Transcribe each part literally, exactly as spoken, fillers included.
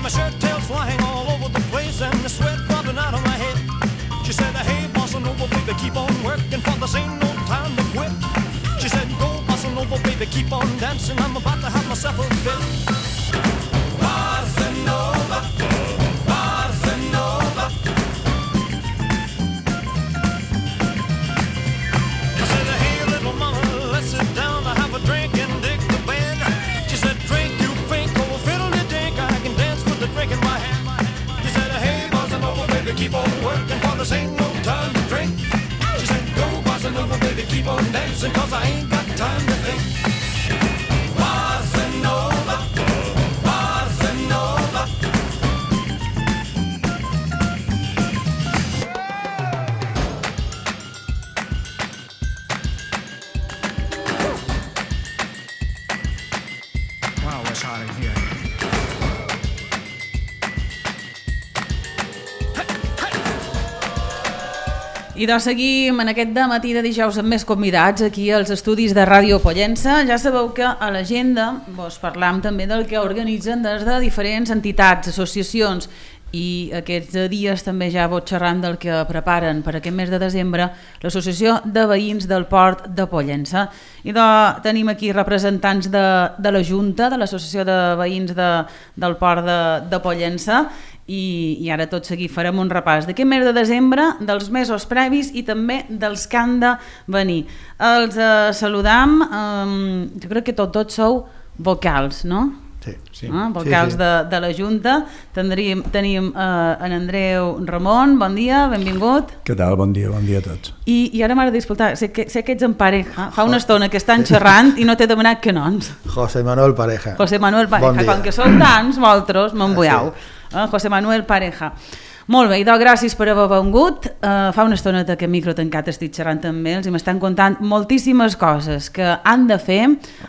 my shirt tails flying all over the place and the sweat dropping out of my head. She said, hey, bossa nova, baby, keep on working, for this ain't no time to quit. She said, go, bossa nova, baby, keep on dancing, I'm about to have myself a fit. Bossa nova, bossa nova. I said, hey, little mama, let's sit down, I have a drink and dig the band. She said, drink, you think, oh, fiddle the dink, I can dance with the drink in my hand. She said, hey, bossa nova, baby, keep on working, for this ain't no time to drink. She said, go, bossa nova, baby, keep on dancing, cause I ain't got time to think. Bossa nova, bossa nova. Wow, it's hot in here. I doncs seguim en aquest dematí de dijous amb més convidats aquí als estudis de Ràdio Pollença. Ja sabeu que a l'agenda doncs, parlam també del que organitzen des de diferents entitats, associacions, i aquests dies també ja vos xerrant del que preparen per aquest mes de desembre l'Associació de Veïns del Port de Pollença. I doncs, tenim aquí representants de, de la Junta, de l'Associació de Veïns de, del Port de, de Pollença, i, i ara tot seguit farem un repàs d'aquest mes de desembre, dels mesos previs i també dels que han de venir. Els eh, saludam, eh, jo crec que tots, tots sou vocals, no? Sí, sí. Ah, vocals sí, sí. De, de la Junta. Tendríem, tenim eh, en Andreu Ramon, bon dia, benvingut. Què tal? Bon dia, bon dia a tots. I, i ara m'agrada escoltar, sé que, sé que ets en pareja, fa una estona que estan xerrant i no t'he demanat que noms. José Manuel Pareja. José Manuel Pareja, bon com que sou tants, vosaltres m'embuiau. Sí. Eh, José Manuel Pareja. Molt bé, i doncs gràcies per haver vengut. Uh, fa una estoneta que micro tancat estic xerrant amb ells i m'estan contant moltíssimes coses que han de fer,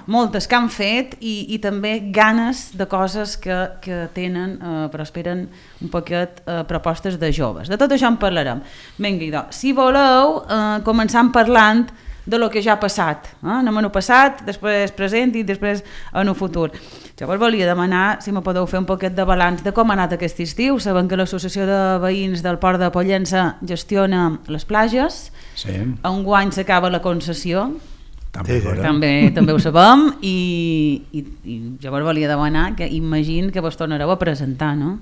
moltes que han fet i, i també ganes de coses que, que tenen, uh, però esperen un poquet uh, propostes de joves. De tot això en parlarem. Vinga, i doncs, si voleu, uh, començant parlant de lo que ja ha passat. Eh? Anem en el passat, després present i després en el futur. Jo vos volia demanar si me podeu fer un poquet de balanç de com ha anat aquest estiu. Sabem que l'Associació de Veïns del Port de Pollença gestiona les platges. Sí. Enguany s'acaba la concessió. També, sí, sí. també, també ho sabem i, i, i jo vos volia demanar que imagino que vos tornareu a presentar, no?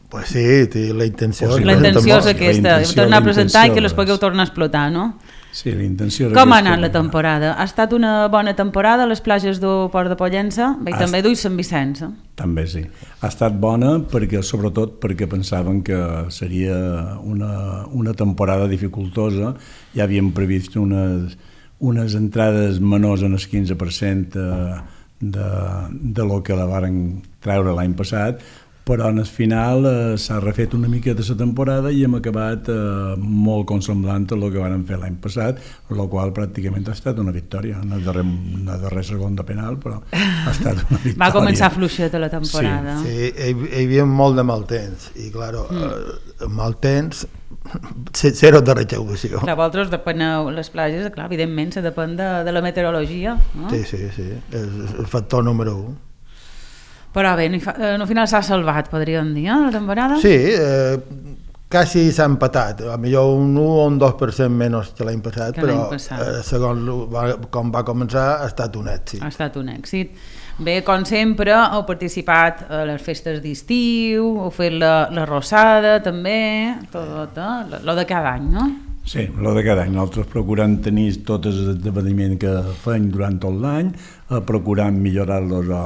Pues sí, la intenció, la intenció és aquesta, tornar a presentar i que les pugueu tornar a explotar, no? Sí, la intenció... Com ha anat la temporada? Ha estat una bona temporada a les platges del Port de Pollença? I ha també d'Ull Sant Vicenç. Eh? També sí. Ha estat bona, perquè, sobretot perquè pensaven que seria una, una temporada dificultosa. Ja havíem previst unes, unes entrades menors en el quinze per cent de, de, de lo que la varen treure l'any passat, però en el final eh, s'ha refet una mica de la temporada i hem acabat eh, molt consemblant a el que vam fer l'any passat, el qual pràcticament ha estat una victòria, una darrer, una darrer segon de penal, però ha estat una victòria. Va començar fluixeta la temporada. Sí, sí hi, hi havia molt de mal temps i clar, mm. eh, mal temps zero de recaudació. Clar, vosaltres depeneu les platges, clar, evidentment se depèn de, de la meteorologia, no? Sí, sí, sí, és el factor número un. Però bé, al final s'ha salvat, podríem dir, eh, la temporada? Sí, eh, quasi s'ha empatat, a millor un u o un dos per cent menys que l'any passat, que però passat. Eh, segons va, com va començar ha estat un èxit. Ha estat un èxit. Bé, com sempre, heu participat a les festes d'estiu, heu fet la, la rossada també, tot, eh? Lo de cada any, no? Sí, lo de cada any. Nosaltres procurant tenir tots els esdeveniments que fem durant tot l'any, eh, procurant millorar-los o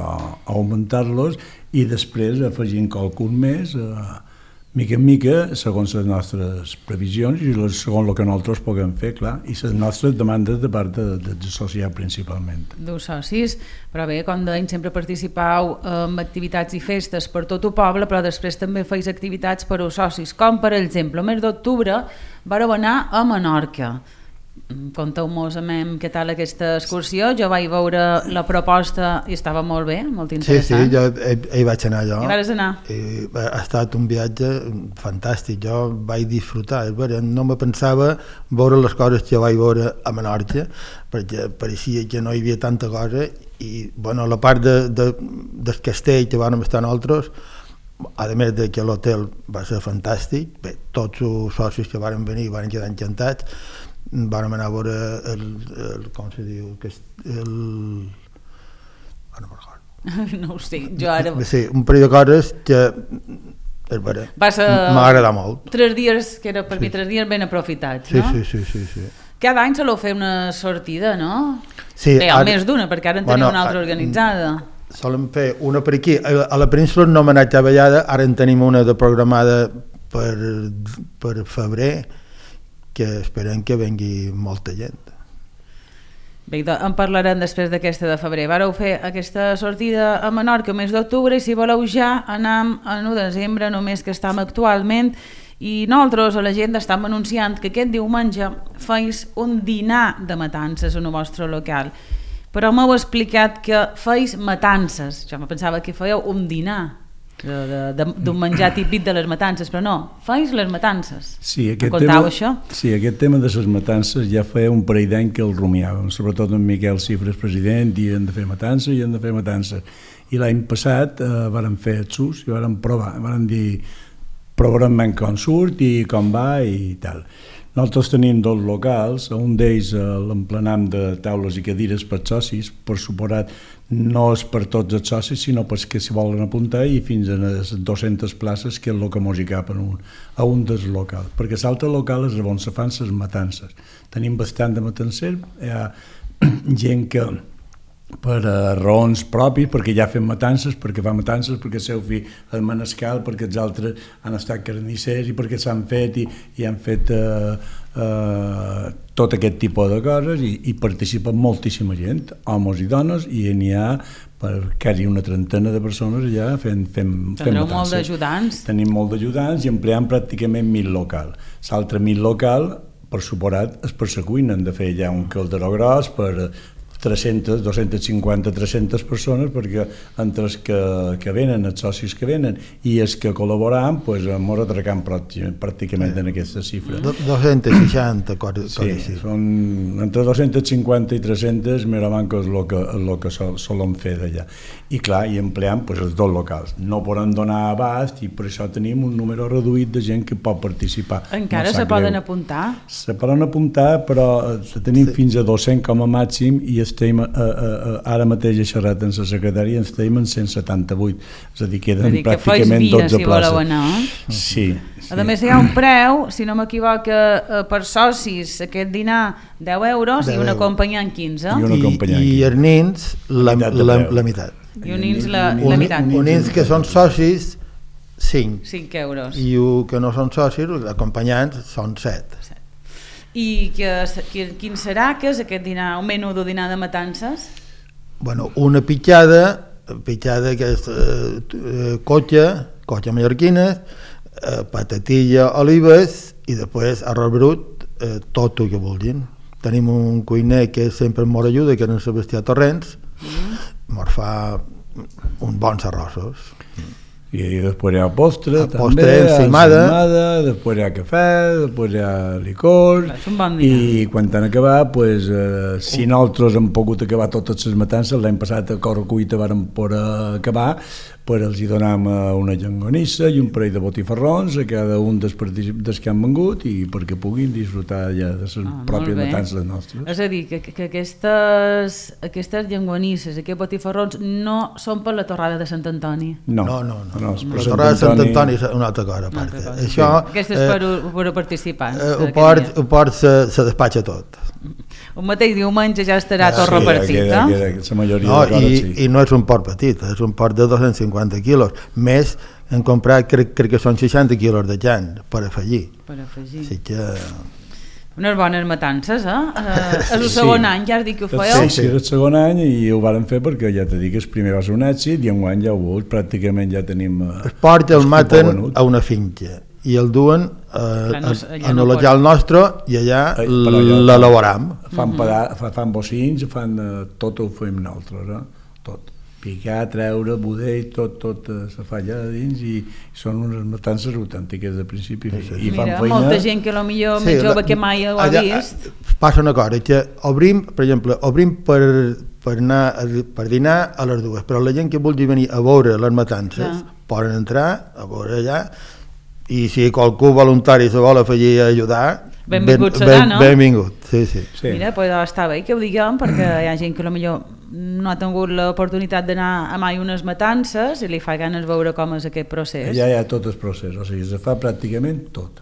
augmentar-los i després afegint qualcun més, eh, mica en mica, segons les nostres previsions i segons el que nosaltres puguem fer, clar, i les nostres demandes de part de, de, de social principalment. Dos socis, però bé, com deim, sempre participau en activitats i festes per tot el poble, però després també feis activitats per als socis, com per exemple, el mes d'octubre vareu anar a Menorca. Conteu-nos què tal aquesta excursió. Jo vaig veure la proposta i estava molt bé, molt interessant. Sí, sí, jo hi, hi vaig anar jo. Hi vas anar? I ha estat un viatge fantàstic, jo vaig disfrutar, no me pensava veure les coses que vaig veure a Menorca, perquè pareixia que no hi havia tanta cosa i bueno, la part de, de, del castell que vam estar nosaltres, a més de que l'hotel va ser fantàstic, bé, tots els socis que varen venir van quedar encantats, vam anar a veure el, el com se diu, que és el... Oh, no me'n recordo. No ho sé, jo ara... Sí, un parell de coses que és vera, m'ha agradat molt. Tres dies, que era per sí. mi tres dies ben aprofitats, sí, no? Sí, sí, sí, sí. Cada any soleu fer una sortida, no? Sí. Bé, ara, més d'una, perquè ara en teniu bueno, una altra organitzada. Solem fer una per aquí. A la península no m'ha anat treballada, ara en tenim una de programada per, per febrer, que esperem que vengui molta gent. Bé, en parlarem després d'aquesta de febrer. Vareu fer aquesta sortida a Menorca el mes d'octubre i si voleu ja anam en u de desembre, només que estem actualment, i nosaltres a l'agenda estem anunciant que aquest diumenge feis un dinar de matances en el vostre local. Però m'heu explicat que feis matances. Jo me pensava que fèieu un dinar d'un menjar típic de les matances, però no, feis les matances. Sí, aquest contau tema, això? Sí, aquest tema de les matances ja feia un parell d'any que el rumiàvem, sobretot en Miquel Cifres, president, i hem de fer matances i hem de fer matances. I l'any passat eh, vàrem fer el sus i vàrem provar, vàrem dir provarem com surt i com va i tal. Nosaltres tenim dos locals, un d'ells eh, l'emplenam de taules i cadires per socis, per suposat no és per tots els socis, sinó pels que s'hi volen apuntar i fins a les dues-centes places que és el que mos hi cap un, a un dels locals, perquè l'altre local és on se fan les matances. Tenim bastant de matancer, hi ha gent que per uh, raons propis, perquè ja fem matances, perquè fa matances, perquè el seu fill és manescal, perquè els altres han estat carnissers i perquè s'han fet i, i han fet uh, uh, tot aquest tipus de coses i, i participa moltíssima gent, homes i dones, i n'hi ha per quasi una trentena de persones allà fent, fent, fent matances. Molt d'ajudants? Tenim molt d'ajudants i empleam pràcticament mil local. L'altre mil local, per suposat, és per la cuina, hem de fer ja un calderó gros per tres-centes, dos-centes cinquanta, tres-centes persones, perquè entre els que, que venen, els socis que venen i els que col·laboram, doncs ens atracam pràcticament en aquesta xifra. dos-centes seixanta, coses sí, així. Són entre dos-centes cinquanta i tres-centes, mira manco és el que, el que sol, solem fer d'allà. I clar, hi empleam doncs, els dos locals. No podem donar abast i per això tenim un número reduït de gent que pot participar. Encara no se poden greu. apuntar? Se poden apuntar, però tenim sí. fins a dos-cents com a màxim i estem, uh, uh, ara mateix he xerrat amb la secretària, ens estem en cent setanta-vuit, és a dir, queden dir pràcticament via, dotze si places. Anar. Sí, sí. A més hi ha un preu, si no m'equivoco, per socis aquest dinar deu euros deu i un acompanyant quinze. I, un acompanyant I, i els nins la, la, la, la meitat. I uns nins la, la meitat. Uns nins que són socis, cinc. cinc euros. I els que no són socis, els acompanyants, són set. I que, quin serà que és aquest dinar, un menú de dinar de matances? Bueno, una pitjada, pitjada que és eh, cotxa, cotxa mallorquina, eh, patatilla, olives i després arròs brut, eh, tot el que vulguin. Tenim un cuiner que sempre ens ajuda, que és en Sebastià Torrents, mm. ens fa uns bons arrossos. Y después hay postre, a també, postre encimada. encimada, después hay cafè, després hi ha licor, bon i quan han acabat, pues, eh, si nosaltres hem pogut acabar totes les matances, l'any passat a Correcuita vàrem poder acabar, pues els hi donam una llangonissa i un parell de botifarrons a cada un dels, dels que han vengut i perquè puguin disfrutar ja de les ah, pròpies matances nostres. És a dir, que, que aquestes, aquestes llangonisses, aquests botifarrons no són per la torrada de Sant Antoni? No, no, no. no. no, no la torrada de Sant Antoni és una altra cosa. Una altra cosa. Això, sí. Aquesta és per, eh, per participants. Eh, ho port, ho port se, se despatxa tot. Un mateix diumenge ja estarà ja, tot sí, repartit, queda, queda, queda, la majoria no, de coses, i, sí. I no és un port petit, és un port de dos-cents cinquanta quilos, més hem comprat, crec, crec que són seixanta quilos de llan per afegir. Per afegir. Així que... Unes bones matances, eh? És el segon sí. any, ja has dit que ho fèieu? Sí, sí, és el segon any i ho vàrem fer perquè ja t'he dit que el primer va ser un èxit i enguany ja ho veus, pràcticament ja tenim... Eh, el port el maten a una finca i el duen eh, no, en el local no nostre i allà eh, l'elaboram. Fan, fan, fan bocins, fan uh, tot ho fem nosaltres, eh? Tot. Picar, treure, budell, tot, tot uh, se fa allà dins i són unes matances autèntiques de principi. Sí, sí. I Mira, fan feina... molta gent que potser sí, més jove la, que mai ho ha allà, vist. Passa una cosa, que obrim, per exemple, obrim per, per, anar, per dinar a les dues, però la gent que vulgui venir a veure les matances ja. poden entrar a veure allà, i si qualcú voluntari se vol afegir a ajudar, benvingut ben, serà, ben, no? Benvingut, sí, sí. Sí. Mira, pues està bé que ho diguem, perquè hi ha gent que potser no ha tingut l'oportunitat d'anar a mai unes matances i li fa ganes veure com és aquest procés. Allà hi ha tot el procés, o sigui, se fa pràcticament tot.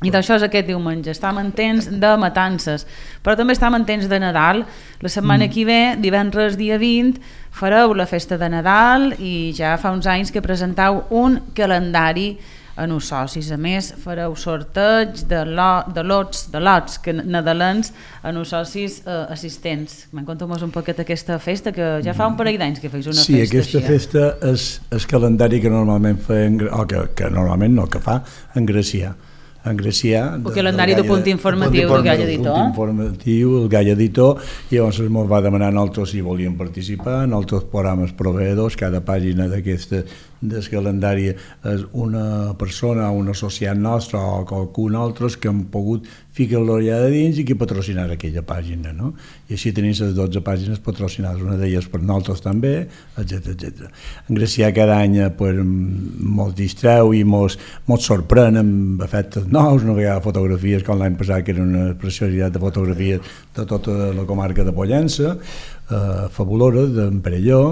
I d'això és aquest diumenge, estem en temps de matances, però també estem en temps de Nadal. La setmana Mm. que ve, divendres dia vint, fareu la festa de Nadal i ja fa uns anys que presentau un calendari en els socis. A més, fareu sorteig de, lo, de lots, de lots que nadalens en els socis eh, assistents. Me'n conteu-nos un poquet aquesta festa, que ja fa un parell d'anys que feis una sí, festa aquesta així. festa és el calendari que normalment feien, o que, que normalment no, que fa en Gracià. En Gracià... El calendari de punt informatiu del Gall Editor. Punt informatiu, el Gall Editor, i llavors ens va demanar a nosaltres si volíem participar, en altres programes proveïdors, cada pàgina d'aquesta del calendari és una persona, un associat nostre o qualcun altre que han pogut ficar-lo allà de dins i que patrocinar aquella pàgina, no? I així tenim les dotze pàgines patrocinades, una d'elles per nosaltres també, etcètera etcètera. En Gracià cada any pues, mos distreu i mos, mos sorprèn amb efectes nous, una vegada fotografies com l'any passat, que era una preciositat de fotografies de tota la comarca de Pollença, eh, fabulosa, d'en Perelló,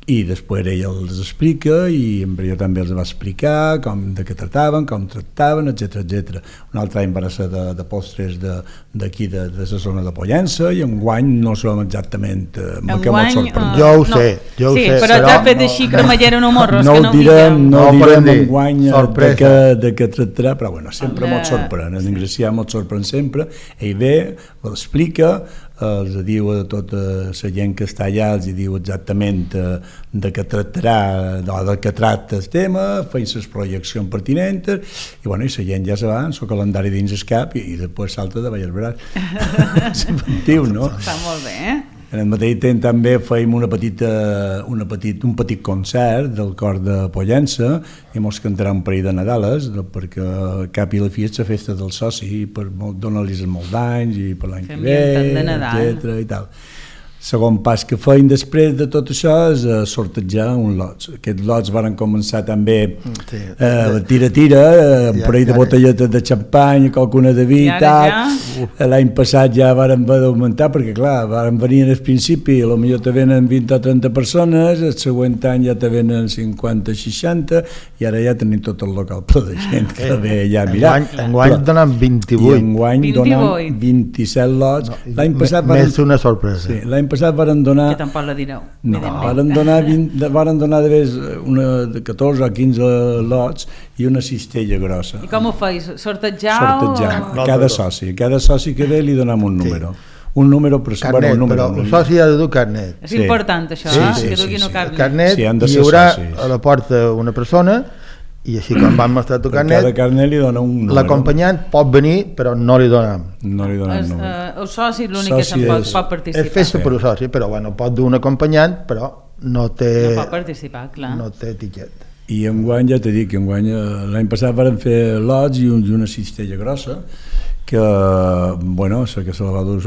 i després ell els explica i en Perelló també els va explicar com de què tractaven, com tractaven, etcètera etcètera. Un altre any va ser de, de postres d'aquí, de, de, de la zona de Pollença, i enguany no sabem exactament, eh, me que molt sorprèn. Uh, Jo ho no. sé, jo ho sí, sé. però però t'ha fet no- així cremallera en morros, no que ho no ho direm, diguem. no, No no direm podem dir. enguany de Sorpresa. què, de què tractarà, però bueno, sempre Home, molt sorprèn, en Gracià molt sorprèn sempre, ell ve, ho explica, els diu a tota la gent que està allà, els diu exactament de, de què tractarà, de, de què tracta el tema, feien les projeccions pertinents, i bueno, i la gent ja se va, amb el calendari dins el cap, i, i després salta de ball al braç. És inventiu, no? Està molt bé, eh? En el mateix temps també fèiem una petita, una petit, un petit concert del cor de Pollença i mos cantarà un parell de Nadales, perquè al cap i a la fi és la festa del soci, per donar-los molts d'anys i per l'any Que que ve, ambient de Nadal. etcètera i tal. Segon pas que feien després de tot això és uh, sortejar un lots. Aquests lots van començar també Sí. eh, tira-tira, uh, un Ja- parell de ja- botelletes de xampany, qualcuna de vi I i ara tal. ja? L'any passat ja varen haver d'augmentar, perquè clar, varen venir al principi, potser te venen vint o trenta persones, el següent any ja te venen cinquanta o seixanta, i ara ja tenim tot el local ple de gent que ve allà a mirar. Enguany, enguany Però- donen I vint-i-vuit. enguany vint-i-vuit. donen vint-i-set lots. No, L'any passat me- varen... Més una sorpresa. Sí, l'any passat varen donar... Que tampoc la direu. No, evidentment. varen donar, vint, varen donar de vez una de catorze o quinze lots i una cistella grossa. I com ho feis? Sortejau? Sortejant. o- No, Cada però- soci. A cada soci que ve li donem un Sí. número. Un número, però Carnet, bueno, un número. però un el soci ha de dur carnet. És Sí. important això, Sí, eh? sí, que sí, duguin sí. un carnet. Carnet, Sí, han de hi ser haurà socis. a la porta una persona i així quan van mostrar tu Per cada carnet, carnet li dona un número. l'acompanyant pot venir però no li donem. No li donem És, número. eh, el soci l'únic que Soci se'n pot, és- pot És participar. festa Sí. per un soci, però bueno, pot dur un acompanyant, però no té, No pot participar, clar. no té etiquet. I enguany, ja t'he dit que enguany, eh, l'any passat varen fer lots i, un, i una cistella grossa, que, bueno, sé que se la va dur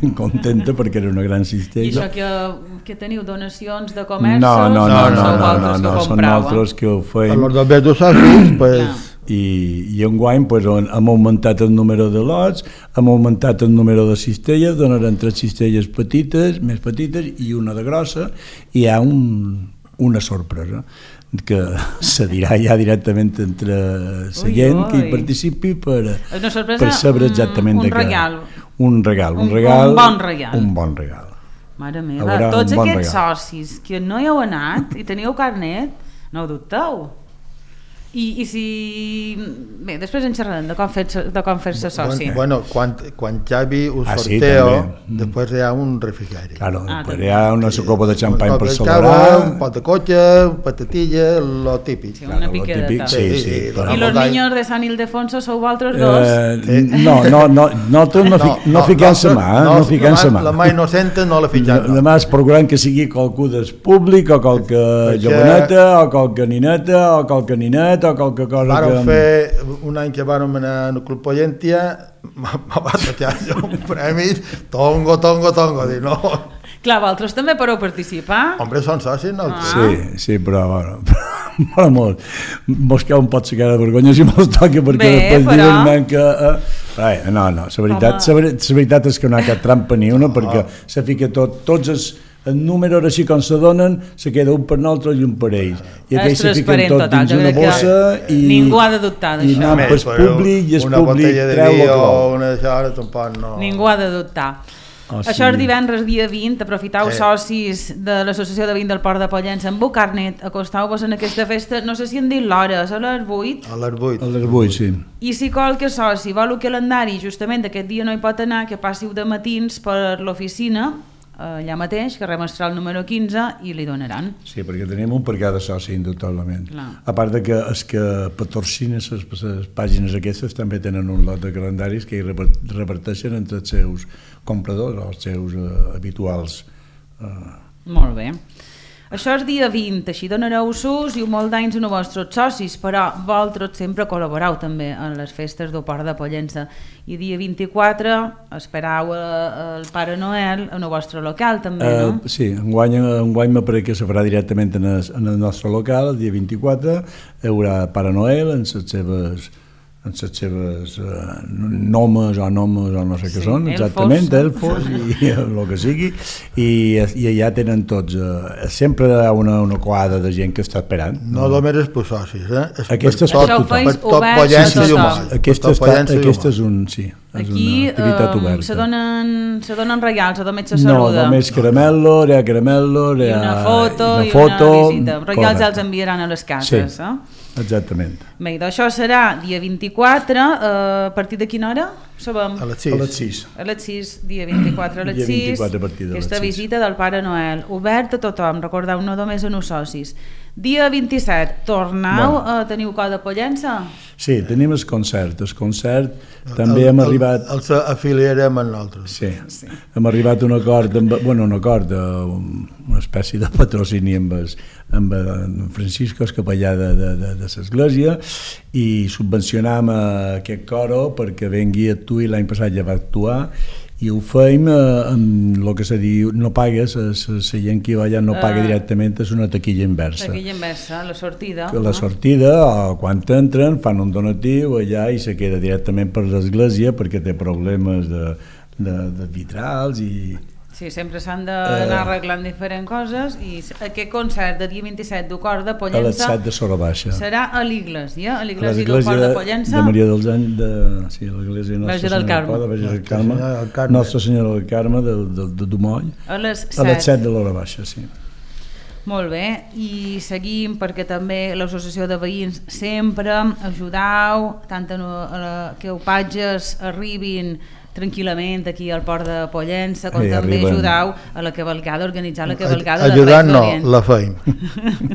ben contenta perquè era una gran I cistella. això que, que teniu donacions de comerços? No, no, no, no, no, sou no, vosaltres no, que no, són comprau, eh? nosaltres que ho A feim. los dos dos socis, pues, Clar. I, i enguany pues, on hem augmentat el número de lots, hem augmentat el número de cistelles, donaran tres cistelles petites, més petites i una de grossa, i hi ha un, una sorpresa que se dirà ja directament entre la Ui, gent que hi ui. participi per, És una sorpresa, per saber un- exactament un de què. regal. Un regal, un Un- regal. un bon regal. Un bon regal. Mare meva, Haurà tots un bon aquests regal. socis que no hi heu anat i teniu carnet, no ho dubteu. I, i si... Bé, després en xerrarem de com fer-se de com fer-se soci. bueno, quan, quan Xavi ho Ah, sí, sorteo, també. Mm. després hi ha un refrigeri. Claro, Ah, després també. hi ha una copa de xampany Un per cop de celebrar. cava, un pot de cotxe, patatilla, lo típic. Sí, Claro, una lo piqueta. típic, sí, sí, Sí, però- I los Voltall. niños de San Ildefonso sou vosaltres dos? Eh, no, no, no, nosaltres no, fi, no, fiquem-se mà, eh? no, fiquem-se mà. La mà innocente no la fiquem. no. Demà es procurant que sigui qualcú del públic, o qualque Perquè- joveneta, o qualque nineta, o qualque ninet, o qualque cosa Vàrem que... fer un any que vàrem anar al Club Pollentia, me va deixar jo un premi, tongo, tongo, tongo, dic, no, Clar, vosaltres també podeu participar. Hombre, són socis, no? Ah. Sí, sí, però bueno, però mos, mos cau un pot sacar de vergonya si mos toca, perquè Bé, després però... diuen que... Eh, ai, no, no, la veritat, la, ver la veritat és que no hi ha cap trampa ni una, perquè se fica tot, tots els, els números així com se donen, se queda un per nosaltres i un per ells. I aquells se fiquen tot total, dins una bossa i... Ningú ha de dubtar I d'això. anar pel públic i el públic treu el clau. Una xara, tampoc no... Ningú ha de dubtar. Oh, Això sí. és divendres dia vint, aprofitau Eh. socis de l'Associació de Vins del Port de Pollença amb Bucarnet, acostau-vos en aquesta festa, no sé si han dit l'hora, és a les vuit, A les vuit. A les vuit, sí. i si qualque soci vol el calendari, justament aquest dia no hi pot anar, que passiu de matins per l'oficina, allà mateix, carrer Mestral número quinze, i li donaran. Sí, perquè tenim un per cada soci, indubtablement. Clar. A part de que els que patrocinen les, les pàgines aquestes també tenen un lot de calendaris que hi reparteixen entre els seus compradors o els seus uh, habituals. Uh. Molt bé. Això és dia vint, així donareu sus i un molt d'anys als vostres socis, però vosaltres sempre col·laboreu també en les festes del Port de Pollença. I dia vint-i-quatre esperau el Pare Noel en el vostre local també, no? Uh, sí, enguany, enguany m'apareix que se farà directament en el, en el nostre local, el dia vint-i-quatre, hi haurà Pare Noel en les seves... en les seves uh, nomes o nomes o no sé què Sí, són, elfos. exactament, elfos i el que sigui, i, i allà tenen tots, uh, sempre hi ha una, una coada de gent que està esperant. No només és per socis, eh? És Aquesta és per per Això ho tothom. feis per tot obert Pollença a i tothom. humà. Aquesta, Per tot està, Pollença i aquesta humà. és, un, sí, és Aquí una activitat eh, oberta. se donen, se donen regals, o només se No, saluda. només caramel·lo, hi ha caramel·lo, hi I ha una foto una i foto, una visita. Regals ja els correcte. enviaran a les cases. Sí. Eh? Exactament. Bé, doncs això serà dia vint-i-quatre, eh, a partir de quina hora? Sabem? A les A sis. les sis. A les sis, dia vint-i-quatre a les Dia sis, vint-i-quatre a partir de les aquesta sis. visita del Pare Noel, obert a tothom, recordeu, no només a uns socis. Dia vint-i-set, tornau Bueno. a teniu cor de Pollença? Sí, tenim el concert. El concert també El- hem el- arribat... Els afiliarem amb nosaltres. Sí, sí, hem arribat a un acord, amb, bueno, un acord, uh, una espècie de patrocini amb, el, amb en Francisco, el capellà de, de, de, de l'església, i subvencionam aquest coro perquè vengui a actuar, i l'any passat ja va actuar, i ho feim eh, amb el que se diu, no pagues, la gent que hi va allà no paga Ah. directament, és una taquilla inversa. Aquella inversa, la sortida. Que la no? sortida, o quan entren, fan un donatiu allà i se queda directament per l'església perquè té problemes de, de, de vitrals i... Sí, sempre s'han d'anar Eh. arreglant diferents coses i aquest concert de dia vint-i-set du cor de a les Pollença set de Sora Baixa. serà a l'Iglésia, a A l'Iglésia del l'església Port de de, Pollença. de Maria dels Anys, de, sí, l'església Nostra Verge del Senyora Carme. del Port, de Verge del Nostra Carme, Senyora del Carme. Nostra Senyora del Carme de, de, de Dumoll, A les a les set. set de l'Hora Baixa, sí. Molt bé, i seguim perquè també l'associació de veïns sempre ajudau tant a, a la, que opatges arribin tranquil·lament aquí al Port de Pollença, com Eh, també arriben. ajudau a la cavalcada, a organitzar la cavalcada Ajudant de no, Reis d'Orient. la feim.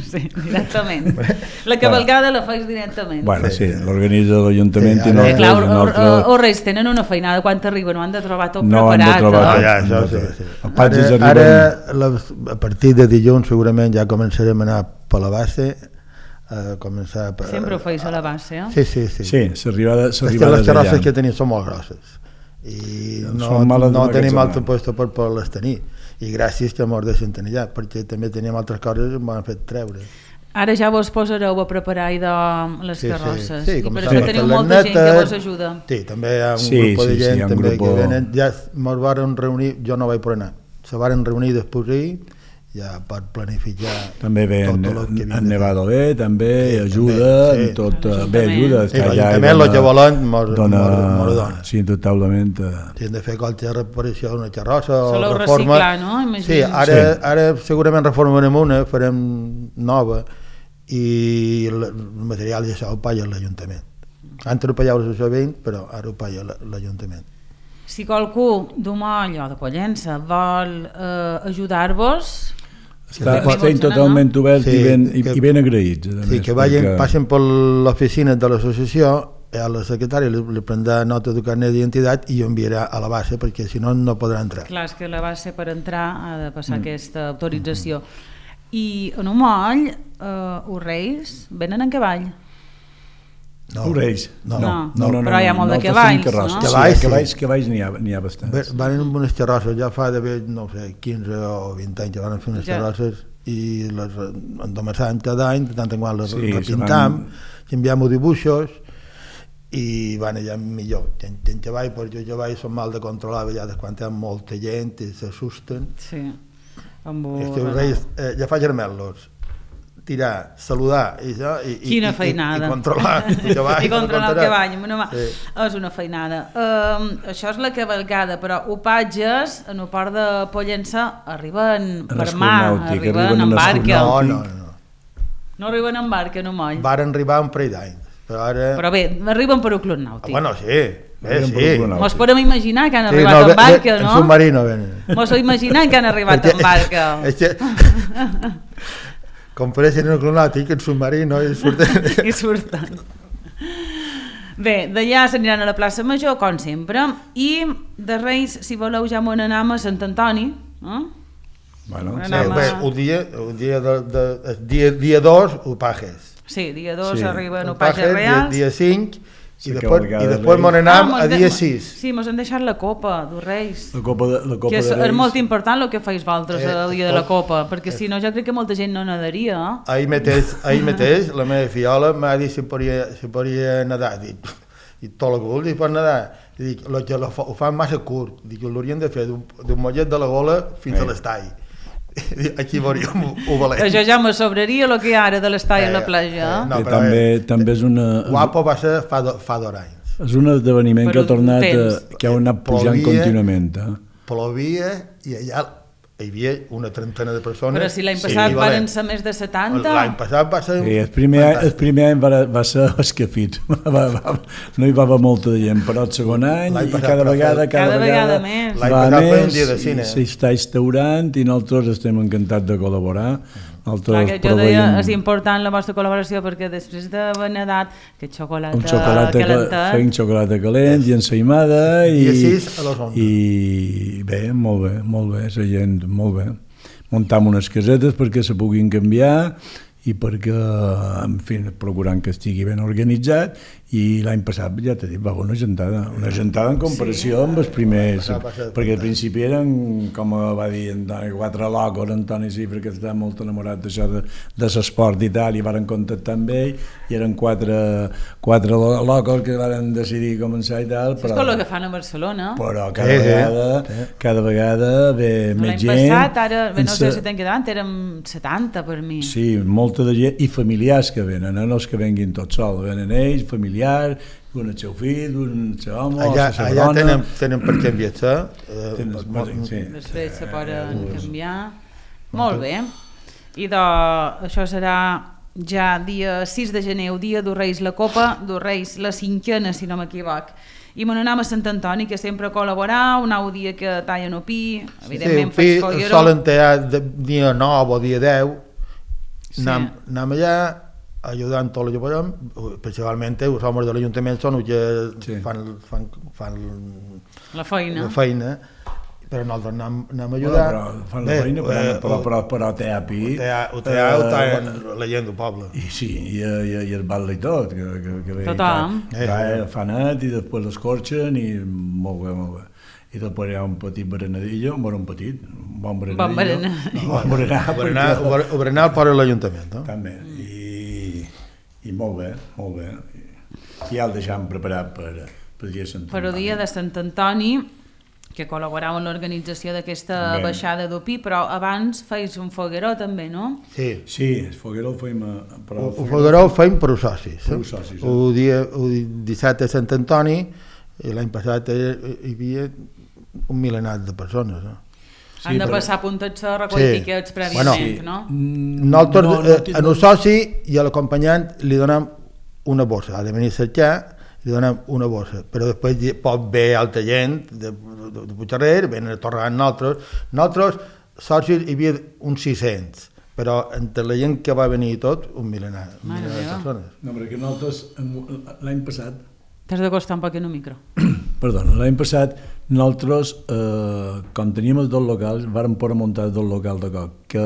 Sí, directament. La cavalcada la fais directament. Bueno, sí, l'organitza l'Ajuntament Sí, i ara- nosaltres, Eh, clar, el o, nostre... o, o Reis tenen una feinada quan arriben, no han de trobar tot No han de preparat. trobar eh? tot. ja, això sí, sí. Els patges Ara, arriben- ara la, a partir de dilluns segurament ja començarem a anar per la base, a començar... Per, Sempre ho feis a la base, eh? Sí, sí, sí. Sí, s'arriba És que les d'allà. carrosses que tenim són molt grosses i no, Són males no d'aquest tenim zona. altre lloc per poder-les tenir, i gràcies que mos deixen tenir ja, perquè també teníem altres coses que m'han fet treure. Ara ja vos posareu a preparar idò les Sí, sí, carrosses sí, i per començant això a teniu fer les molta gent que netes. vos ajuda. Sí, també hi ha un Sí, grup de sí, sí, gent hi ha un també grupo- que venen, ja mos varen reunir, jo no vaig poder anar, se varen reunir després ahir, ja per planificar També ve en, tot el que havia en de fer. Nevado bé, també Sí, ajuda, també, sí. en tot, L'Ajuntament. bé, ajuda. Sí, està allà i l'Ajuntament, dona- el que volen, mos- dona, mos- mos ho dona. Sí, totalment. eh, Si hem de fer qualsevol reparació d'una xarrossa o Soleu reforma... reciclar, no? Imagino. Sí, ara, Sí. ara segurament reformarem una, farem nova, i el el material ja ho paga l'Ajuntament. Antes ho pagava l'associació de veïns, però ara ho paga la- l'Ajuntament. Si qualcú d'Umoll o de Pollença vol eh, ajudar-vos, Està, Sí, estem sí. totalment oberts Sí, i, ben, i, que- i ben agraïts. a Sí, més, que vagin, perquè- passen per l'oficina de l'associació, a la secretària li, li prendrà nota de carnet d'identitat i ho enviarà a la base, perquè si no, no podrà entrar. clar, és que la base per entrar ha de passar mm. aquesta autorització. I en Umoll, eh, els Reis venen en cavall. No. Orells. No. No. no, no, no, Però hi ha molt de nosaltres cavalls, tenim carrosses. no? Sí, Cavalls, sí. cavalls, cavalls n'hi ha, n'hi ha bastants. Van amb unes carrosses, ja fa d'haver, no sé, quinze o vint anys que van fer unes Ja. carrosses i les endomassam cada any, de tant en qual les Sí, repintam, se i enviam dibuixos i van allà millor. En, en cavall, per jo cavall són mal de controlar a vegades quan hi ha molta gent i s'assusten. Sí. Amb un... Els teus reis, eh, ja fa germel·los, tirar, saludar i, ja, i, Quina i, feinada. i, i controlar el cavall. I controlar el cavall amb una mà. Sí. És una feinada. Um, això és la cavalcada, però opatges en el port de Pollença arriben En per escut mar, nàutic, arriben arriben en en escut barca. No, nàutic. no, no. No arriben en barca, no moll. Varen arribar un parell d'anys, però ara... Però bé, arriben per un club nàutic. Ah, bueno, sí, bé, Arriben per sí. un club nàutic. Mos podem imaginar que han Sí, arribat no, en ve- barca, ve- no? En submarino venen. Mos ho imaginem que han arribat en barca. És que... Compareixen en el club nàutic, en submarino, i surten... I surten. Bé, d'allà s'aniran a la plaça Major, com sempre, i de Reis, si voleu, ja m'on anem a Sant Antoni. Eh? Bueno, Bueno, Sí, anem bé, a- un dia, un dia, de, de, el dia, dia dos, Upajes. Sí, dia dos Sí. arriben Upajes, Opatges dia, Reals. dia cinc, i Sí, després, cavalcada i de després Reis. m'on anam mos a de- dia sis. Sí, mos han deixat la copa dels Reis. la copa de, la copa Que és, de Reis. és molt important el que feis vosaltres Eh, el dia de la tot- copa, perquè si no jo crec que molta gent no nadaria. Eh? Ahir mateix, ahir mateix la meva fiola m'ha dit si podia, si podia nedar. Dic, i tot el cul, dic, pot nedar. I dic, lo que lo, fa- ho fan massa curt. Dic, l'haurien de fer d'un d'un mollet de la gola fins Eh. a l'estall. Aquí veuríem ho valent. Això ja me sobraria el que hi ha ara de l'estai a la Eh, platja. eh, Eh? no, Que però, també, eh, també és una... Guapo va ser fa, do, fa dos anys. És un esdeveniment Però que ha tornat, temps. a, que ha anat pujant Plovia. contínuament. Eh? Plovia i allà hi havia una trentena de persones. Però si l'any Sí, passat equivalent. van ser més de setanta. L'any passat va ser... Sí, el primer, el fantàstic. primer any va, va ser escafit, va, va, no hi va haver molta gent, però el segon any L'any i passat, cada però vegada, feia- cada, Cada vegada, vegada més. L'any va passat feia un més, dia de cine. i s'està instaurant i nosaltres estem encantats de col·laborar. Clar, Nosaltres que jo deia, proveïm és important la vostra col·laboració perquè després d'haver nedat que xocolata, un xocolata, calentat, feim xocolata calent i ensaïmada i, Dia sis a les onze. i bé, molt bé, molt bé, la gent, molt bé. Muntam unes casetes perquè se puguin canviar i perquè, en fi, procurant que estigui ben organitzat, i l'any passat, ja t'he dit, va haver una gentada, una gentada en comparació sí. amb els primers, Va ser perquè al principi eren, com va dir Antoni, quatre locos, Antoni Cifra, que estava molt enamorat d'això de, de l'esport i tal, i varen contactar amb ell, i eren quatre, quatre lo- locos que varen decidir començar i tal, Això és com el que fan a Barcelona. però cada Sí, sí. vegada, Sí. cada vegada ve més L'any gent. passat, ara, bé, no sé Ens- si t'han quedat, érem setanta per mi. Sí, molta de gent, i familiars que venen, eh? No els que venguin tots sols, venen ells, familiars, un el seu fill, un el seu home, Allà, la seva allà dona. tenen, tenen per què enviar-se. Eh, Tenen- pot- sí. Després se poden canviar. Molt bé. I de, això serà ja dia sis de gener, el dia d'U Reis la Copa, d'U Reis la cinquena, si no m'equivoc. I me n'anam a Sant Antoni, que sempre col·laborar, un nou dia que tallen opí, evidentment sí, faig fi, fogueró. solen tallar de, dia nou o dia deu. Sí. Anem, anem allà ajudant tot el que podem, principalment els homes de l'Ajuntament són els que Sí. fan, fan, fan La feina. la feina, però nosaltres anem, anem a Bueno, ajudar. però fan la Bé, feina, però, eh, però, però, però té api. Ho té- ho té ho tallen la gent del poble. I sí, i, i, i el batle i tot, que, que, que bé, Tothom. que, que fa net i després l'escorxen i molt bé, molt bé. I després hi ha un petit berenadillo, bueno, un petit, un bon berenadillo. Bon berenar. Un bon berenar, Ho berenar, perquè- ho bere- ho berenar el poble de l'Ajuntament. No? També, i, i molt bé, molt bé. I ja el deixam preparat per, per dia de Sant Per el dia de Sant Antoni, que col·laborava en l'organització d'aquesta També. baixada d'opí, però abans feis un fogueró també, no? Sí. Sí, el fogueró el feim a... Però El fogueró ho feim per als socis. Per als socis, eh? El dia el dissabte a Sant Antoni, i l'any passat hi hi havia un milenat de persones. No? Sí, Han de però- passar puntatge a recollir Sí. tiquets Bueno, prèviament, sí. no? Mm, Nosaltres, no, no, no, eh, a un soci i a l'acompanyant li donem una bossa, ha de venir a cercar, li donem una bossa, però després hi pot haver altra gent de, de, de Puigcerrer, venen a tornar amb nosaltres. Nosaltres, socis, hi havia uns sis-cents, però entre la gent que va venir i tot, un milenar, un Mare milenar de meva. persones. No, perquè nosaltres, l'any passat, T'has d'acostar un poc en el micro. Perdona, l'any passat nosaltres, eh, quan teníem els dos locals, vàrem poder muntar el dos local de cop, que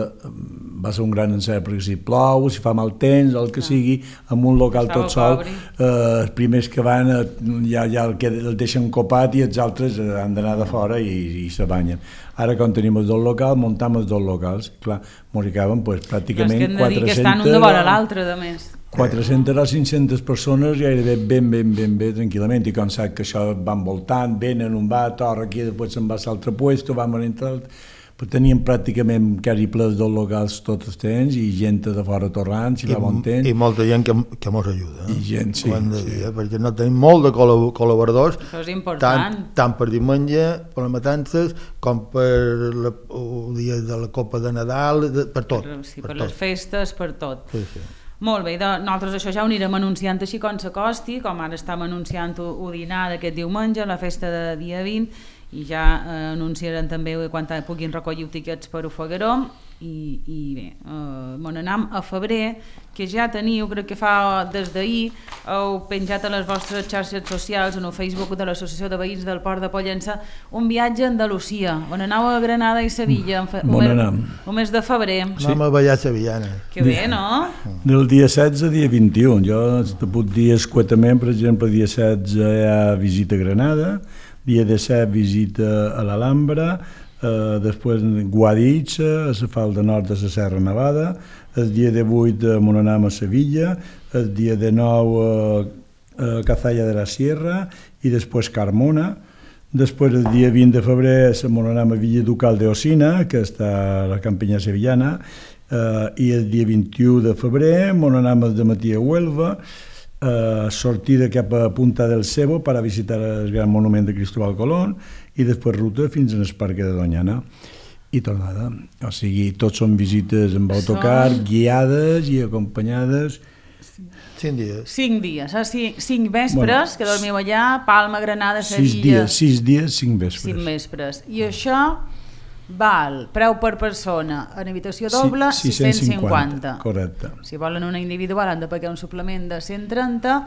va ser un gran encert, perquè si plou, si fa mal temps, el que sigui, amb un local tot sol, eh, els primers que van eh, ja, ja el, que, el deixen copat i els altres han d'anar de fora i, i se banyen. Ara, quan tenim els dos locals, muntam els dos locals. Clar, mos hi caben pues, pràcticament quatre-centes... Però és que hem de dir que estan un de vora l'altre, de més. quatre-centes o cinc-centes persones gairebé ben, ben, ben bé, tranquil·lament, i com sap que això van voltant, venen, un va, torna aquí, després se'n va a l'altre puesto, van a entrar... Però teníem pràcticament quasi ple dels locals tots els temps i gent de fora torrant, si fa bon temps. I molta gent que, que mos ajuda. Eh? I gent, sí. De sí. dir, perquè no tenim molt de col·laboradors, això és important. Tant, tant per diumenge, per les matances, com per la, el dia de la Copa de Nadal, de, per tot. Per, sí, per, per tot. les festes, per tot. Sí, sí. Molt bé, de, nosaltres això ja ho anirem anunciant així com s'acosti, com ara estem anunciant el dinar d'aquest diumenge, la festa de dia vint, i ja eh, anunciaran també quan puguin recollir tiquets per Ofegaró i, i bé, eh, bon anam a febrer, que ja teniu, crec que fa des d'ahir, heu penjat a les vostres xarxes socials en el Facebook de l'Associació de Veïns del Port de Pollença un viatge a Andalusia, on aneu a Granada i Sevilla fe, bon un, anam. un mes de febrer. Sí. Anem a ballar sevillana. Que bé, no? Del dia setze al dia vint-i-u, jo te puc dir escuetament, per exemple, dia setze hi ha visita a Granada, dia disset visita a l'Alhambra, eh, després Guadix, a la falda nord de la Serra Nevada, el dia divuit a Monanam a Sevilla, el dia dinou a, a Cazalla de la Sierra i després Carmona. Després el dia vint de febrer a Monanam a Villa Ducal de Osina, que està a la Campinya Sevillana, eh, i el dia vint-i-u de febrer Monanam de Matí a Huelva, Uh, sortida cap a Punta del Cebo per a visitar el gran monument de Cristóbal Colón i després ruta fins al Parc de Doñana i tornada. O sigui, tots són visites amb autocar, són... guiades i acompanyades. Cinc dies. Cinc dies, eh? cinc, cinc vespres, bueno, que dormiu allà, Palma, Granada, Sevilla... Sis dies, sis dies, cinc vespres. Cinc vespres. I això val, preu per persona, en habitació doble, sí, sis-cents cinquanta. Correcte. Si volen una individual han de pagar un suplement de cent trenta,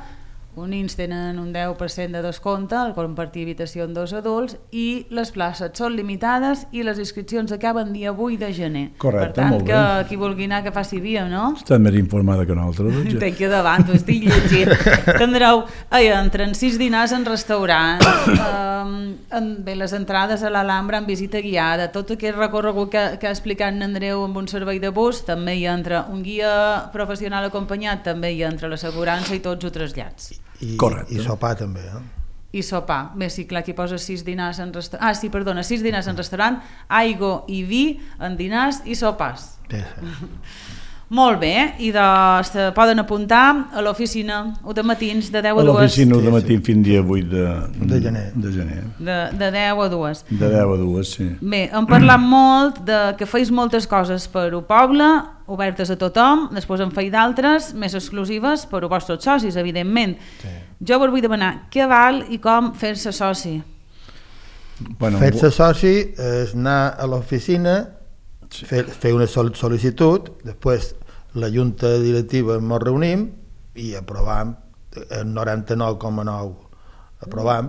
unins tenen un deu per cent de descompte al compartir habitació amb dos adults i les places són limitades i les inscripcions acaben dia vuit de gener. Correcte, per tant, molt bé. que qui vulgui anar que faci via, no? Està més informada que nosaltres. Doncs. Té aquí davant, ho estic llegint. Tindreu, ai, entren sis dinars en restaurant, um, en, bé, les entrades a l'Alhambra en visita guiada, tot aquest recorregut que, que ha explicat en Andreu amb un servei de bus, també hi entra un guia professional acompanyat, també hi entra l'assegurança i tots els trasllats. I, Correcte. I sopar també, eh? I sopar. Bé, sí, clar, aquí posa sis dinars en restaurant. Ah, sí, perdona, sis dinars en restaurant, aigua i vi en dinars i sopars. Sí, sí. Molt bé, i de, se poden apuntar a l'oficina o de matins de deu a dues. A l'oficina sí, de matí sí. fins dia vuit de, de gener. De, gener. De, de deu a dues. De deu a dues, sí. Bé, hem parlat molt de que feis moltes coses per al poble, obertes a tothom, després en feis d'altres, més exclusives per als vostres socis, evidentment. Sí. Jo vos vull demanar què val i com fer-se soci. Bueno, fer-se soci és anar a l'oficina, sí. fer, fer una sol·licitud, després la junta directiva ens reunim i aprovam el noranta-nou coma nou aprovam.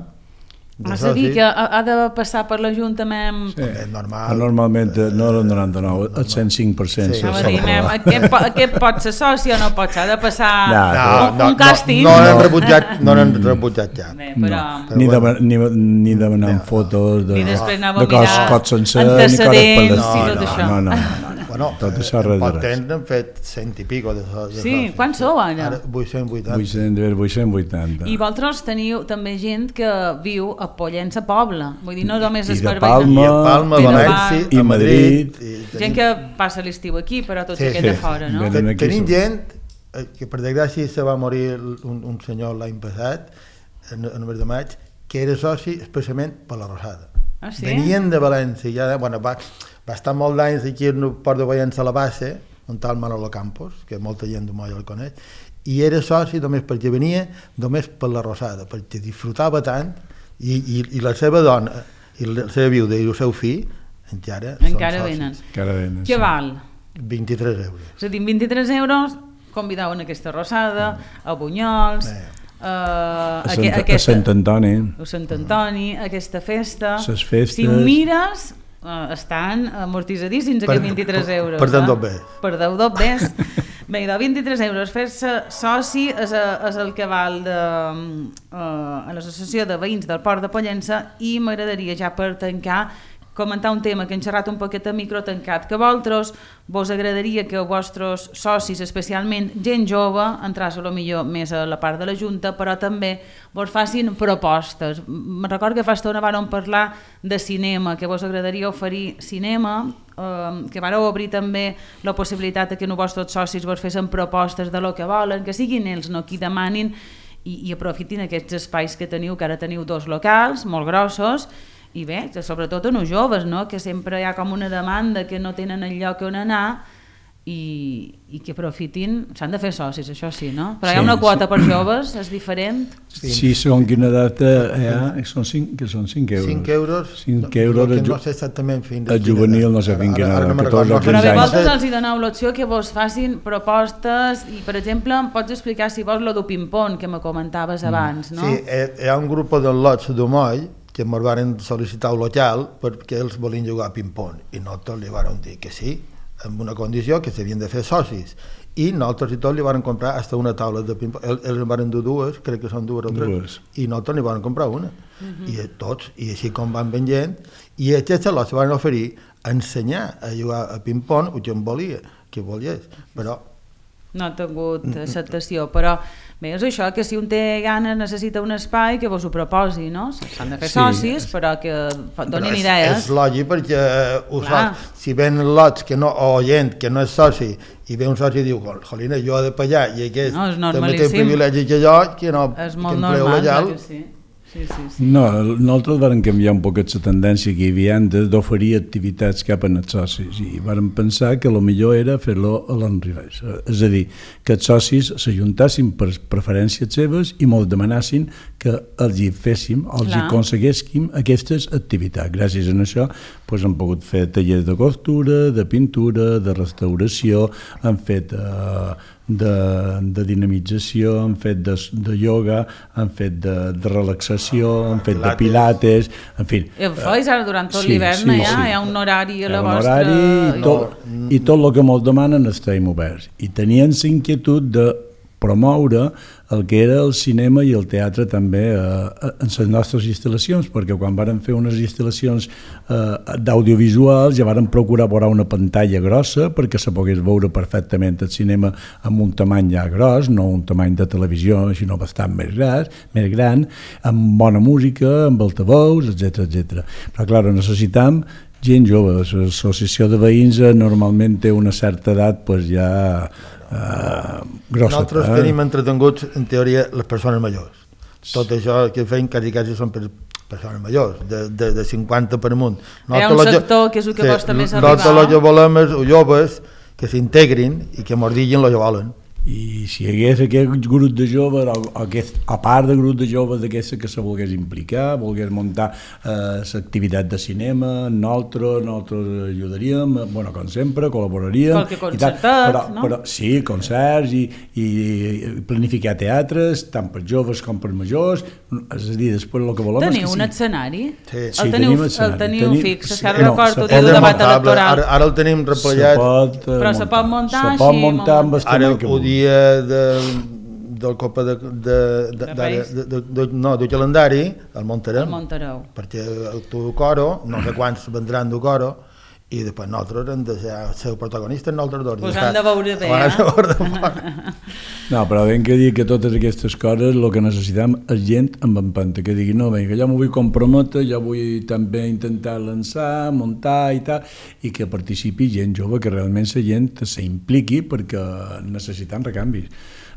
És a dir, que ha, ha de passar per l'Ajuntament... Sí. És normal. Normalment no el noranta-nou, el cent cinc per cent. Sí. Sí. Dir, mem, aquest, aquest pot ser soci o no pot ser, ha de passar no, un, no, un càstig. No, no l'hem rebutjat, no l'hem rebutjat ja. Bé, però... No. Ni, bueno. de, ni, ni demanant no, fotos de, ni de cos, cos sencer, ni coses per les... no, i tot no, això. No, no, no, no. Bueno, tot això res de pot res. temps hem fet cent i pico de socis. Sí, quants sou ara? Ara vuit-cents vuitanta. vuit-cents vuitanta. I vosaltres teniu també gent que viu a Pollença Poble, vull dir, no només I es de per Palma, I a Palma, i de València, i a Madrid. Madrid. I gent que passa l'estiu aquí, però tots Sí, aquests sí, de fora, no? sí. Ten, Aquí tenim som. gent eh, que per desgràcia se va morir un, un senyor l'any passat, en, en el mes de maig, que era soci especialment per la Rosada. Ah, sí? Venien de València, ja, bueno, va, va estar molt d'anys aquí al Port de Pollença a la base, on està el Manolo Campos, que molta gent de Molla el coneix, i era soci només perquè venia, només per la Rosada, perquè disfrutava tant, i, i, i la seva dona, i la seva viuda i el seu fill, encara, Encara són venen. socis. Encara venen. Què val? vint-i-tres euros. És a dir, vint-i-tres euros, convidau en aquesta Rosada, a Bunyols, Bé. Uh, a, Sant, aqu aquesta, a Sant Antoni. A Sant Antoni, aquesta festa. Les festes. Si mires, uh, estan amortitzadíssims aquests vint-i-tres euros. Perdeu dos bé. Perdeu dos bé. Bé, de vint-i-tres euros fer-se soci és, a, és el que val de, uh, a l'associació de veïns del Port de Pollença, i m'agradaria ja per tancar comentar un tema que hem xerrat un poquet a micro tancat, que vosaltres vos agradaria que els vostres socis, especialment gent jove, entràs a lo millor més a la part de la Junta, però també vos facin propostes. Me recordo que fa estona vàrem parlar de cinema, que vos agradaria oferir cinema, eh, que vareu obrir també la possibilitat que els vostres socis vos fessin propostes de lo que volen, que siguin ells no qui demanin, i, i aprofitin aquests espais que teniu, que ara teniu dos locals molt grossos, i bé, sobretot en els joves, no? Que sempre hi ha com una demanda que no tenen el lloc on anar, i, i que aprofitin, s'han de fer socis, això sí, no? Però sí, hi ha una quota sí. Per joves, és diferent? Sí, sí, segons quina data hi ha, són cinc, que són cinc euros. cinc euros? cinc euros, no, no sé exactament fins el juvenil, no sé fins quina edat, catorze o Però quinze bé, anys. vosaltres els hi doneu l'opció que vos facin propostes, i per exemple, em pots explicar si vols lo del ping-pong que me comentaves abans, no? Sí, hi ha un grup de lots de Moll que ens van sol·licitar un local perquè ells volien jugar a ping-pong, i nosaltres li vam dir que sí, amb una condició, que s'havien de fer socis, i nosaltres i tots li van comprar hasta una taula de ping-pong. Ells en van dur dues, crec que són dues o tres, dues. I nosaltres li van comprar una, uh-huh. i tots, i així com van venint, i aquests lots van oferir ensenyar a jugar a ping-pong, o que en volia, que volies, però no ha tingut acceptació, però bé, és això, que si un té ganes, necessita un espai, que vos ho proposi, no? S'han de fer sí, socis, però que donin és, idees. És lògic, perquè uh, soci, si ven lots que no, o gent que no és soci, i ve un soci i diu, jolina, jo he de pagar, i aquest no, també té privilegi que jo, que no, és que molt empleo normal, legal. que sí. Sí, sí, sí. No, nosaltres vam canviar un poquet la tendència que hi havia antes d'oferir activitats cap als socis, i vam pensar que el millor era fer-lo a l'enrevés, és a dir, que els socis s'ajuntassin per preferències seves i mos demanassin que els hi féssim, els hi aconseguéssim aquestes activitats. Gràcies a això doncs, hem pogut fer tallers de costura, de pintura, de restauració, hem fet eh, de, de dinamització, hem fet de, de ioga, hem fet de, de relaxació, hem fet de pilates, en fi. I ho feis ara durant tot sí, l'hivern, sí, ja? Sí. Hi ha un horari a la un vostra... Horari i tot, i tot el que ens demanen estem oberts. I tenien la inquietud de promoure el que era el cinema i el teatre també eh, en les nostres instal·lacions, perquè quan vàrem fer unes instal·lacions eh, d'audiovisuals ja vàrem procurar veure una pantalla grossa perquè se pogués veure perfectament el cinema amb un tamany ja gros, no un tamany de televisió, sinó bastant més gran, més gran, amb bona música, amb altaveus, etcètera, etcètera. Però, clar, necessitam gent jove. L'associació de veïns normalment té una certa edat pues, ja Uh, grossa. Nosaltres eh? tenim entretenguts, en teoria, les persones majors. Tot això que feim quasi quasi són per persones majors, de, de, de cinquanta per amunt. Hi ha un sector que és el que costa més arribar. Nosaltres el que volem és joves que s'integrin i que mos diguin el que volen. I si hi hagués aquest grup de joves, o aquest, a part de grup de joves d'aquesta que se volgués implicar, volgués muntar l'activitat eh, de cinema, nosaltres, nosaltres ajudaríem, bueno, com sempre, col·laboraríem. Qualque concertat, però, no? Però, sí, concerts i, i planificar teatres, tant per joves com per majors, és a dir, després el que volem teniu és que un sí. escenari? Sí, el sí teniu, tenim escenari. El teniu tenim, fix, és sí, que ara no, recordo se del debat electoral. Ara, ara el tenim replegat. Se pot, eh, però se pot muntar se així. pot muntar amb el ara que ho dia de, del Copa de, de, de, de, de, de, de, no, del calendari el muntarem. El muntareu. Perquè tu coro, no sé quants vendran du coro, i després nosaltres hem de ser, ser protagonistes nosaltres dos. Pues han de veure bé, eh? No, però ben que dir que totes aquestes coses el que necessitem és gent amb empenta, que digui, no, vinga, jo m'ho vull comprometre, jo vull també intentar lançar, muntar i tal, i que participi gent jove, que realment la gent s'impliqui perquè necessitem recanvis.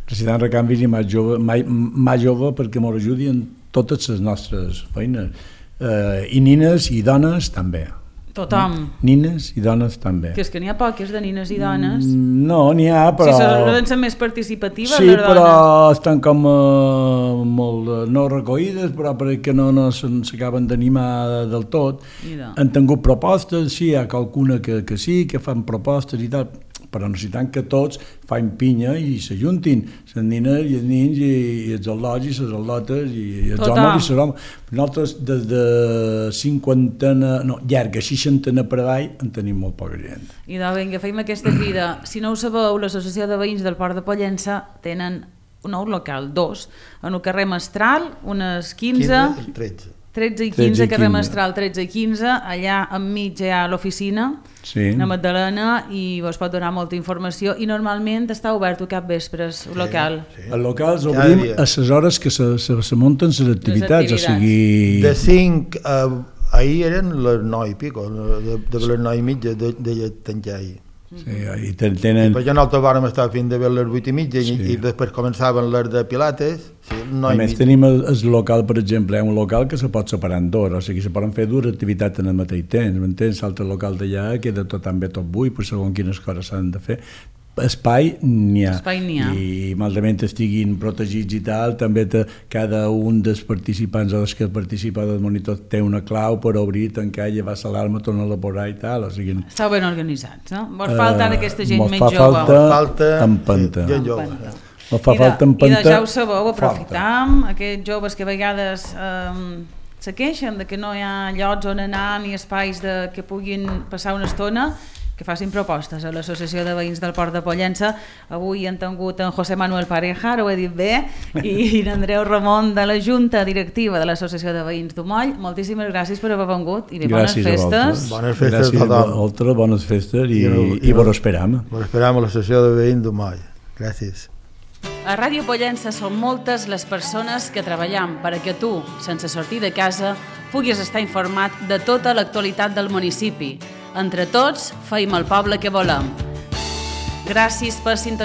Necessitem recanvis i més jove, mai, més jove perquè ens ajudi en totes les nostres feines. Eh, I nines i dones també. Tothom. Nines i dones també. Que és que n'hi ha poques de nines i dones. No, n'hi ha, però... Sí, solen ser més participatives, sí, les dones. Sí, però estan com uh, molt, uh, no recollides, però perquè no, no s'acaben d'animar del tot. Han tingut propostes, sí, hi ha qualcuna que, que sí, que fan propostes i tal, però necessitem que tots fan pinya i s'ajuntin, les nines i els nins i, i els al·lots i les al·lotes i, i els Tothom. homes i les homes. Nosaltres des de cinquantena, no, llarga, seixantena per avall en tenim molt poca gent. I doncs vinga, fem aquesta crida. Si no ho sabeu, l'Associació de Veïns del Port de Pollença tenen un nou local, dos, en el carrer Mestral, unes quinze, quinze, tretze. tretze i tretze quinze, i carrer quinze. Mestral tretze i quinze, allà enmig hi ha l'oficina, Sí. la Magdalena, i vos pot donar molta informació, i normalment està obert a cap vespres, el local. Sí. El local els Cada obrim dia. a les hores que se, se, se munten les activitats, activitats. o sigui... De cinc a... Ahir eren les nou i pico, de, de les nou i mitja de, de, de tancar ahir. Sí, i ten- tenen... Perquè nosaltres vàrem estar fins de les vuit i mitja Sí. i, i després començaven les de Pilates, sí, nou A i més, mitja. tenim el, el local, per exemple, hi ha un local que se pot separar en dos, o sigui, se poden fer dues activitats en el mateix temps, m'entens? L'altre local d'allà queda tot també tot buit, per segons quines coses s'han de fer. Espai n'hi ha. Espai n'hi ha. I malament estiguin protegits i tal, també te, cada un dels participants o dels que participa del monitor té una clau per obrir, tancar, llevar l'alarma, tornar-la a posar i tal, o sigui... Estàu ben organitzats, no? Vos falta Eh, aquesta gent mos més fa jove. falta Falta empenta. sí, gent jove. Empenta. Mos fa I de, falta I empenta. de ja ho sabeu, Falta. aprofitam aquests joves que a vegades eh, se queixen de que no hi ha llocs on anar ni espais de, que puguin passar una estona, que facin propostes a l'Associació de Veïns del Port de Pollença. Avui han tingut en José Manuel Pareja, ho he dit bé, i en Andreu Ramon de la Junta Directiva de l'Associació de Veïns d'Umoll. Moltíssimes gràcies per haver vengut i bé, bones Gràcies a festes. vosaltres. Bones festes Gràcies a tothom. a vosaltres, bones festes i, I no- i, i no- vos esperam. Us esperam a la sessió de veïns d'Umoll. Gràcies. A Ràdio Pollença són moltes les persones que treballem perquè tu, sense sortir de casa, puguis estar informat de tota l'actualitat del municipi. Entre tots, feim el poble que volem. Gràcies per sintonitzar